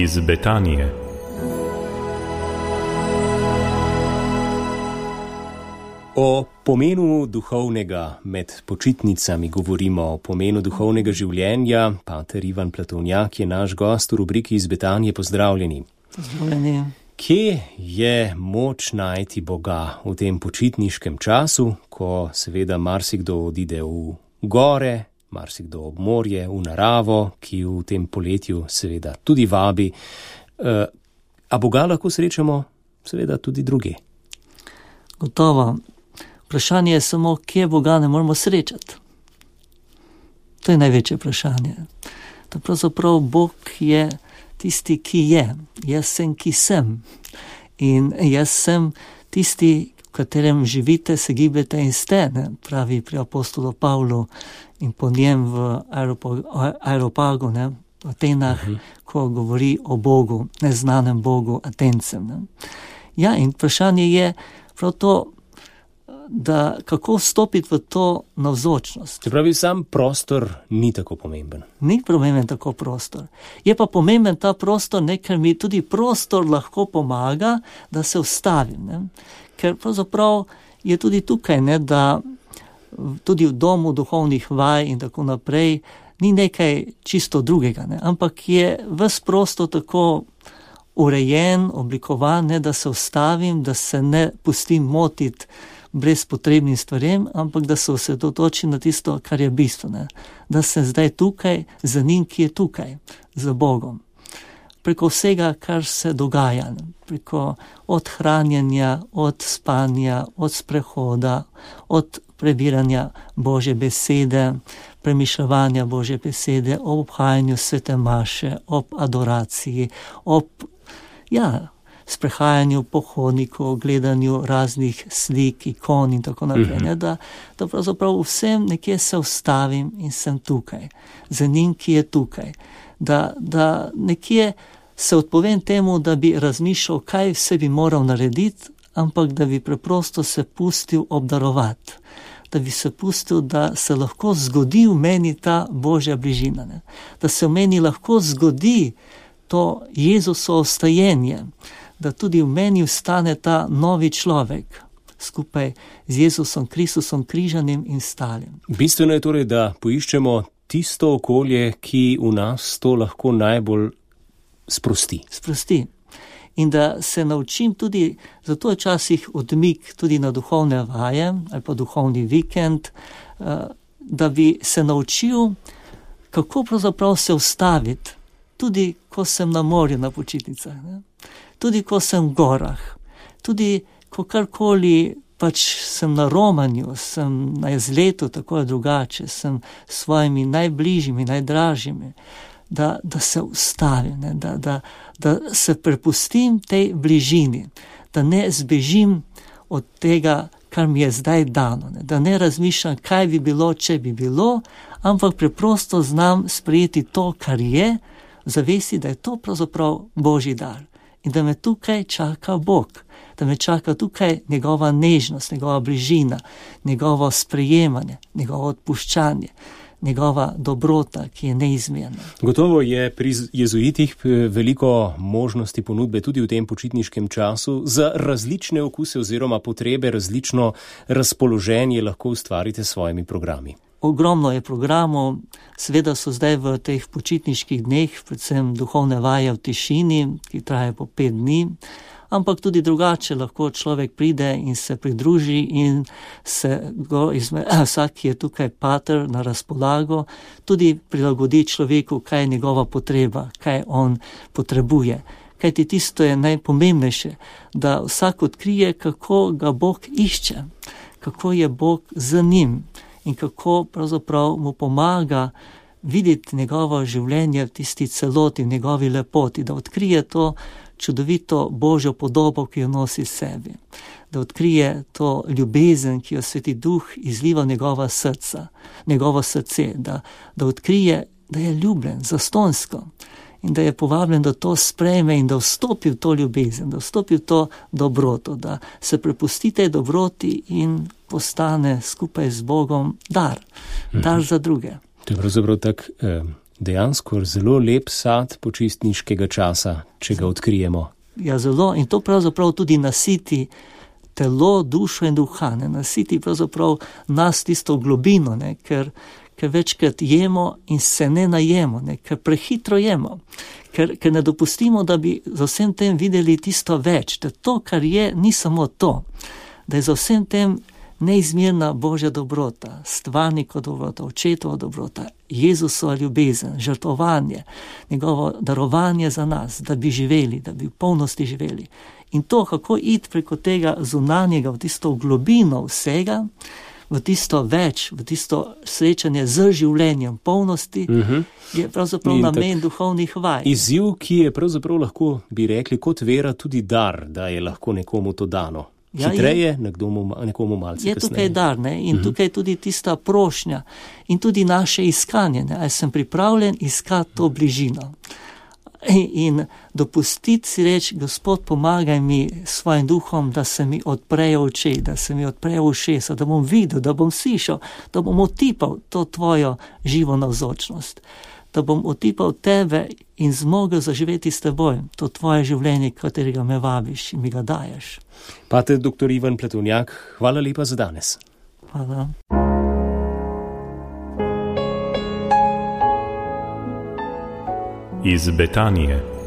iz Betanije. O pomenu duhovnega med počitnicami govorimo, o pomenu duhovnega življenja. Pater Ivan Platovnjak je naš gost v rubriki iz Betanije. Pozdravljeni. Pozdravljeni. Kje je moč najti Boga v tem počitniškem času, ko seveda marsikdo odide v gore, marsikdo ob morje, v naravo, ki v tem poletju seveda tudi vabi. A Boga lahko srečamo seveda tudi druge? Gotovo. Vprašanje je samo, kje Boga ne moramo srečati. To je največje vprašanje. Da pravzaprav Bog je tisti, ki je. Jaz sem, ki sem. In jaz sem tisti, v katerem živite, se gibete in ste, ne? Pravi pri apostolu Pavlu in po njem v Areopagu, ne? V Atenah, ko govori o Bogu, neznanem Bogu, Atencem. Ne? Ja, in vprašanje je prav to, da kako vstopiti v to navzočnost. Se pravi, sam prostor ni tako pomemben. Ni pomemben tako prostor. Je pa pomemben ta prostor, ne, ker mi tudi prostor lahko pomaga, da se ustavim. Ne? Ker pravzaprav je tudi tukaj, ne, da tudi v domu duhovnih vaj in tako naprej ni nekaj čisto drugega, ne? Ampak je ves prostor tako urejen, oblikovan, ne, da se ustavim, da se ne pustim motiti brez potrebnim stvarem, ampak da se osredotočim na tisto, kar je bistveno. Da sem zdaj tukaj za njim, ki je tukaj, za Bogom. Preko vsega, kar se dogaja, preko od hranjenja, od spanja, od sprehoda, od prebiranja Božje besede, premišljevanja Božje besede, ob obhajanju svete maše, ob adoraciji, ob, sprehajanju po hodniku, gledanju raznih slik, ikon in tako naprej. Ne, da pravzaprav vsem nekje se ustavim in sem tukaj, za njim, ki je tukaj. Da nekje se odpovem temu, da bi razmišljal, kaj vse bi moral narediti, ampak da bi preprosto se pustil obdarovati. Da bi se pustil, da se lahko zgodi v meni ta Božja bližina. Ne. Da se v meni lahko zgodi to Jezusovo vstajenje, da tudi v meni vstane ta novi človek, skupaj z Jezusom Kristusom križanim in stalim. Bistveno je torej, da poiščemo tisto okolje, ki v nas to lahko najbolj sprosti. Sprosti. In da se naučim tudi, zato je včasih odmik tudi na duhovne vaje ali pa duhovni vikend, da bi se naučil, kako pravzaprav se ustaviti, tudi ko sem na morju na počitnicah, ne? Tudi ko sem v gorah, tudi ko karkoli pač sem na romanju, sem na izletu, tako je drugače, sem s svojimi najbližjimi, najdražjimi, da se ustavim, ne? Da se prepustim tej bližini, da ne zbežim od tega, kar mi je zdaj dano, ne? Da ne razmišljam, kaj bi bilo, če bi bilo, ampak preprosto znam sprejeti to, kar je, zavesti, da je to pravzaprav Božji dar. In da me tukaj čaka Bog, da me čaka tukaj njegova nežnost, njegova bližina, njegovo sprejemanje, njegovo odpuščanje, njegova dobrota, ki je neizmerna. Gotovo je pri jezuitih veliko možnosti ponudbe tudi v tem počitniškem času. Za različne okuse oziroma potrebe, različno razpoloženje lahko ustvarite s svojimi programi. Ogromno je programov, seveda so zdaj v teh počitniških dneh, predvsem duhovne vaje v tišini, ki trajajo po 5 dni, ampak tudi drugače lahko človek pride in se pridruži in se vsak, ki je tukaj pater na razpolago, tudi prilagodi človeku, kaj je njegova potreba, kaj on potrebuje. Kajti tisto je najpomembnejše, da vsak odkrije, kako ga Bog išče, kako je Bog z njim. In kako pravzaprav mu pomaga videti njegovo življenje v tisti celoti, v njegovi lepoti, da odkrije to čudovito Božjo podobo, ki jo nosi sebi, da odkrije to ljubezen, ki jo Sveti Duh izliva v njegova srca, njegovo srce, da odkrije, da je ljubljen zastonsko in da je povabljen, da to sprejme in da vstopi v to ljubezen, da vstopi v to dobroto, da se prepusti tej dobroti in postane skupaj z Bogom dar za druge. To je pravzaprav tak Dejansko zelo lep sad počitniškega časa, če ga odkrijemo. Ja, zelo, in to pravzaprav tudi nasiti telo, dušo in duha, ne, nasiti pravzaprav nas tisto globino, ne, ker večkrat jemo in se ne najemo, ne, ker prehitro jemo, ker ne dopustimo, da bi za vsem tem videli tisto več, da to, kar je, ni samo to, da je za vsem tem neizmerna Božja dobrota, stvarnikova dobrota, očetova dobrota, Jezusova ljubezen, žrtvovanje, njegovo darovanje za nas, da bi živeli, da bi v polnosti živeli. In to, kako iti preko tega zunanjega v tisto globino vsega, v tisto več, v tisto srečanje z življenjem polnosti, je pravzaprav namen duhovnih vaj. Izziv, ki je pravzaprav lahko, bi rekli, kot vera tudi dar, da je lahko nekomu to dano. Hitreje, nekomu malce kasneje. Je tukaj dar, ne? In tukaj tudi tista prošnja in tudi naše iskanje, ne? Ali sem pripravljen iskati to bližino. In dopustiti si reči, Gospod, pomagaj mi svojim duhom, da se mi odprejo oči, da se mi odprejo ušesa, da bom videl, da bom slišal, da bom otipal to tvojo živo navzočnost, da bom otipal tebe in zmogel zaživeti s teboj, to tvoje življenje, katerega me vabiš in mi ga daješ. Pater dr. Ivan Pletovnjak, hvala lepa za danes. Hvala. Iz Betanije